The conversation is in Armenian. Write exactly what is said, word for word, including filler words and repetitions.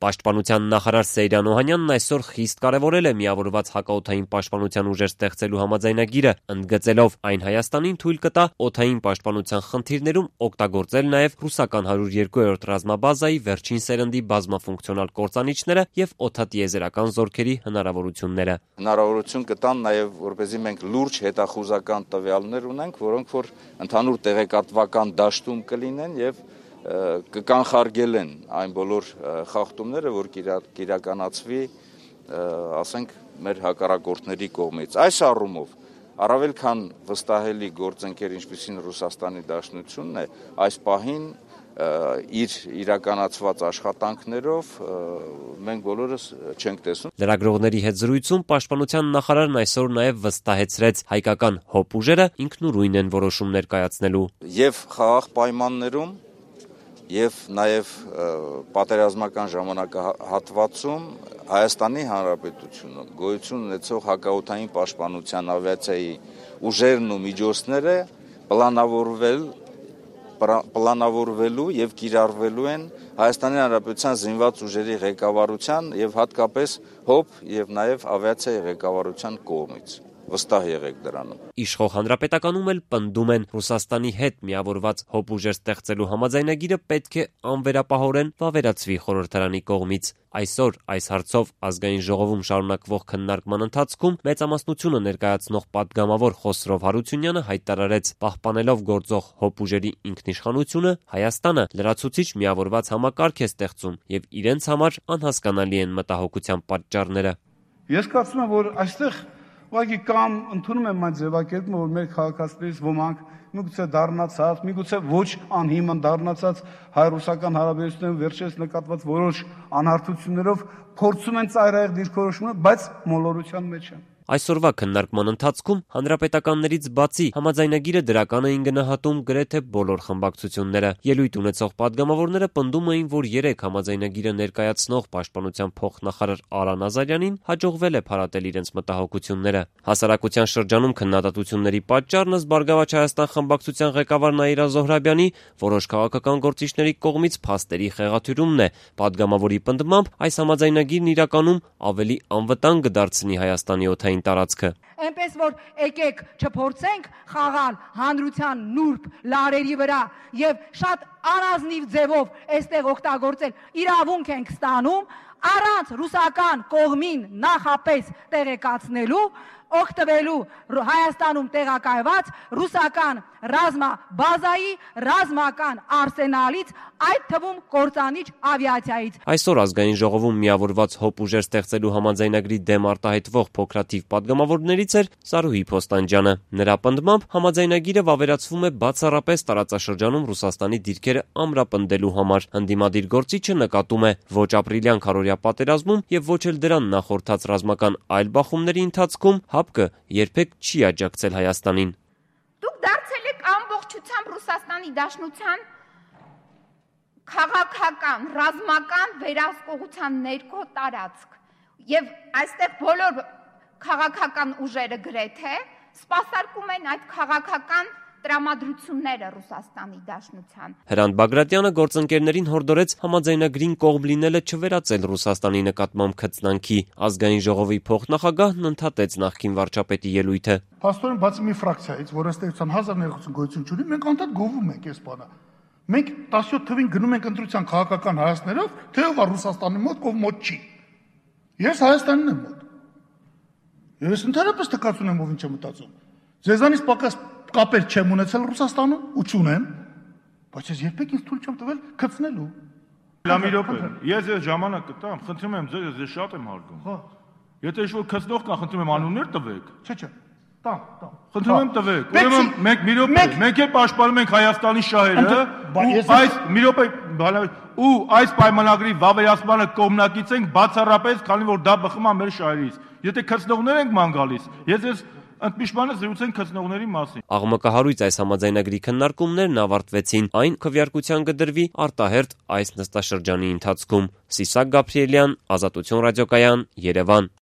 Պաշտպանության նախարար Սեյրան Օհանյանն այսօր խիստ կարևորել է միավորված հակաօդային պաշտպանության ուժեր ստեղծելու համաձայնագիրը, ընդգծելով այն Հայաստանին թույլ կտա օդային պաշտպանության խնդիրներում օգտագործել նաև ռուսական հարյուր երկու ռազմաբազայի վերջին սերնդի բազմաֆունկցիոնալ կործանիչները եւ օդատիեզերական զորքերի հնարավորությունները։ Հնարավորություն կտան նաև, որպեսզի մենք լուրջ հետախուզական տվյալներ ունենք, որոնք որ ընդհանուր տեղեկատվական դաշտում կլինեն եւ կկանխարգելեն այն բոլոր խախտումները, որ կիրականացվի, ասենք, մեր հակառակորդների կողմից։ Այս առումով առավել քան վստահելի գործընկեր, ինչպիսին Ռուսաստանի Դաշնությունն է, այս պահին իր իրականացված աշխատանքներով մենք բոլորս չենք տեսնում։ Լրագրողների հետ զրույցում պաշտպանության նախարարն այսօր նաև վստահեցրեց հայկական հոբ ուժերը ինքնուրույն են որոշումներ կայացնելու։ Եվ խաղաղ պայմաններում եւ նաեւ պատերազմական ժամանակահատվածում Հայաստանի Հանրապետությունը գոյություն ունեցող հակաօդային պաշտպանության ավիացիայի ուժերն ու միջոցները պլանավորվել պլանավորվելու եւ կիրառվելու են Հայաստանի Հանրապետության զինված ուժերի ղեկավարության եւ հատկապես հոբ եւ նաեւ ավիացիայի ղեկավարության կողմից։ Վստահ եղեք դրանում։ Իշխող հանրապետականում էլ պնդում են Ռուսաստանի հետ միավորված հոբ ուժեր ստեղծելու համաձայնագիրը պետք է անվերապահորեն վավերացվի խորհրդարանի կողմից։ Այսօր այս հարցով ազգային ժողովում շարունակվող քննարկման ընթացքում մեծամասնությունը ներկայացնող падգամավոր Խոսրով Հարությունյանը հայտարարեց, պահպանելով գործող հոբ ուժերի ինքնիշխանությունը, Հայաստանը լրացուցիչ միավորված համակարգ է ստեղծում եւ իրենց համար անհասկանալի են մտահոգության պատճառները։ Ես կարծում եմ, որ այստեղ ուղղակի կամ ընդունում եմ այն ձևակերպումը, որ մեր քաղաքացիներից ոմանք միգուցե դառնացած, միգուցե ոչ անհիմն դառնացած հայ-ռուսական հարաբերություններում վերջերս նկատված որոշ անհարթություններով փորձում են ծայրահեղ դիրքորոշումներ, բայց մոլորության մեջ են։ Այսօրվա քննարկման ընթացքում հանրապետականներից բացի համաձայնագիրը դրական էին գնահատում գրեթե բոլոր խմբակցությունները։ Ելույթ ունեցող падգամավորները պնդում էին, որ երեք համաձայնագիրը ներկայացնող պաշտպանության փոխնախարար Արա Նազարյանին հաջողվել է փարատել իրենց մտահոգությունները։ Հասարակության շրջանում քննադատությունների պատճառն ըստ Բարգավաճ Հայաստան խմբակցության ղեկավար Նաիրա Զոհրաբյանի որոշ քաղաքական գործիչների կողմից փաստերի խեղաթյուրումն է։ Падգամավորի պնդմամբ այս համաձայնագիրն իրականում ավելի անվտանգ կդարձնի Հայաստանի օդային տարածքը։ Այնպես որ եկեք չփորձենք խաղալ հանրության նուրբ լարերի վրա եւ շատ անազնիվ ձևով այստեղ օգտագործել իրավունք ենք ստանում առանց ռուսական կողմին նախապես տեղեկացնելու օգտվելու Հայաստանում տեղակայված ռուսական ռազմաբազայի ռազմական արսենալից, այդ թվում կործանիչ ավիացիայից։ Այսօր ազգային ժողովում միավորված հոբ ուժեր ստեղծելու համաձայնագրի դեմ արտահայտվող փոքրաթիվ падգամավորներից էր Զարուհի Փոստանջյանը։ Նրա պնդմամբ համաձայնագիրը վավերացվում է բացառապես տարածաշրջանում Ռուսաստանի դիրքերը ամրապնդելու համար։ Ընդդիմադիր գործիչը նկատում է ոչ ապրիլյան քարոզիա պատերազմում եւ ոչ էլ դրան նախորդած ռազմական այլ բախումների ընթացքում ՀԱՊԿ երբեք չի աջակցել Հայաստանին։ Դուք դարձել եք ամբողջությամբ Ռուսաստանի Դաշնության քաղաքական, ռազմական վերահսկողության ներքո տարածք եւ այստեղ բոլոր քաղաքական ուժերը գրեթե սպասարկում են այդ քաղաքական տրամադրությունները Ռուսաստանի Դաշնության։ Հրանտ Բագրատյանը գործընկերներին հորդորեց համաձայնագրին կողմ լինելը չվերածել Ռուսաստանի նկատմամբ քծնանքի։ Ազգային ժողովի փոխնախագահն ընդհատեց նախկին վարչապետի ելույթը։ Փաստորեն բացի մի ֆրակցիայից, որը ըստ հազար ներողություն գոյություն չունի, մենք անդադ գովում ենք այս բանը։ Մենք տասնյոթ թվին գնում ենք ընտրության քաղաքական հայացքներով, թե ով է Ռուսաստանի մոտ, ով մոտ չի։ Ես Հայաստանին եմ մոտ։ Ես ընդհանրապես տկած ունեմ, ով ինչ է մտածում։ Ձեզանից պակաս կապեր չեմ ունեցել Ռուսաստանում ու չունեմ, բայց ես երբեք ինձ թույլ չեմ տվել քծնելու։ Լամի րոպե, ես ես ժամանակ կտամ, խնդրում եմ ձեզ, ես շատ եմ հարգում։ Հա։ Եթե ինչ-որ քծնող կա, խնդրում եմ անուններ տվեք։ Չէ, չէ։ Տամ, տամ։ Խնդրում եմ տվեք։ Ուրեմն մենք մի րոպե, մենք էլ պաշտպանում ենք Հայաստանի շահերը, ու այս մի րոպե, ու այս պայմանագրի վավերացմանը կողմնակից ենք բացառապես, քանի որ դա բխում է մեր շահերից։ Եթե քծնողներ ենք ման գալիս, ես ես ընդմիջմանը զրուցենք քծնողների մասին։ Աղմկահարույց այս համաձայնագրի քննարկումներն ավարտվեցին, այն քվեարկության կդրվի արտահերթ այս նստաշրջանի ընթացքում։ Սիսակ Գաբրիելյան, Ազատություն ռադիոկայան, Երևան։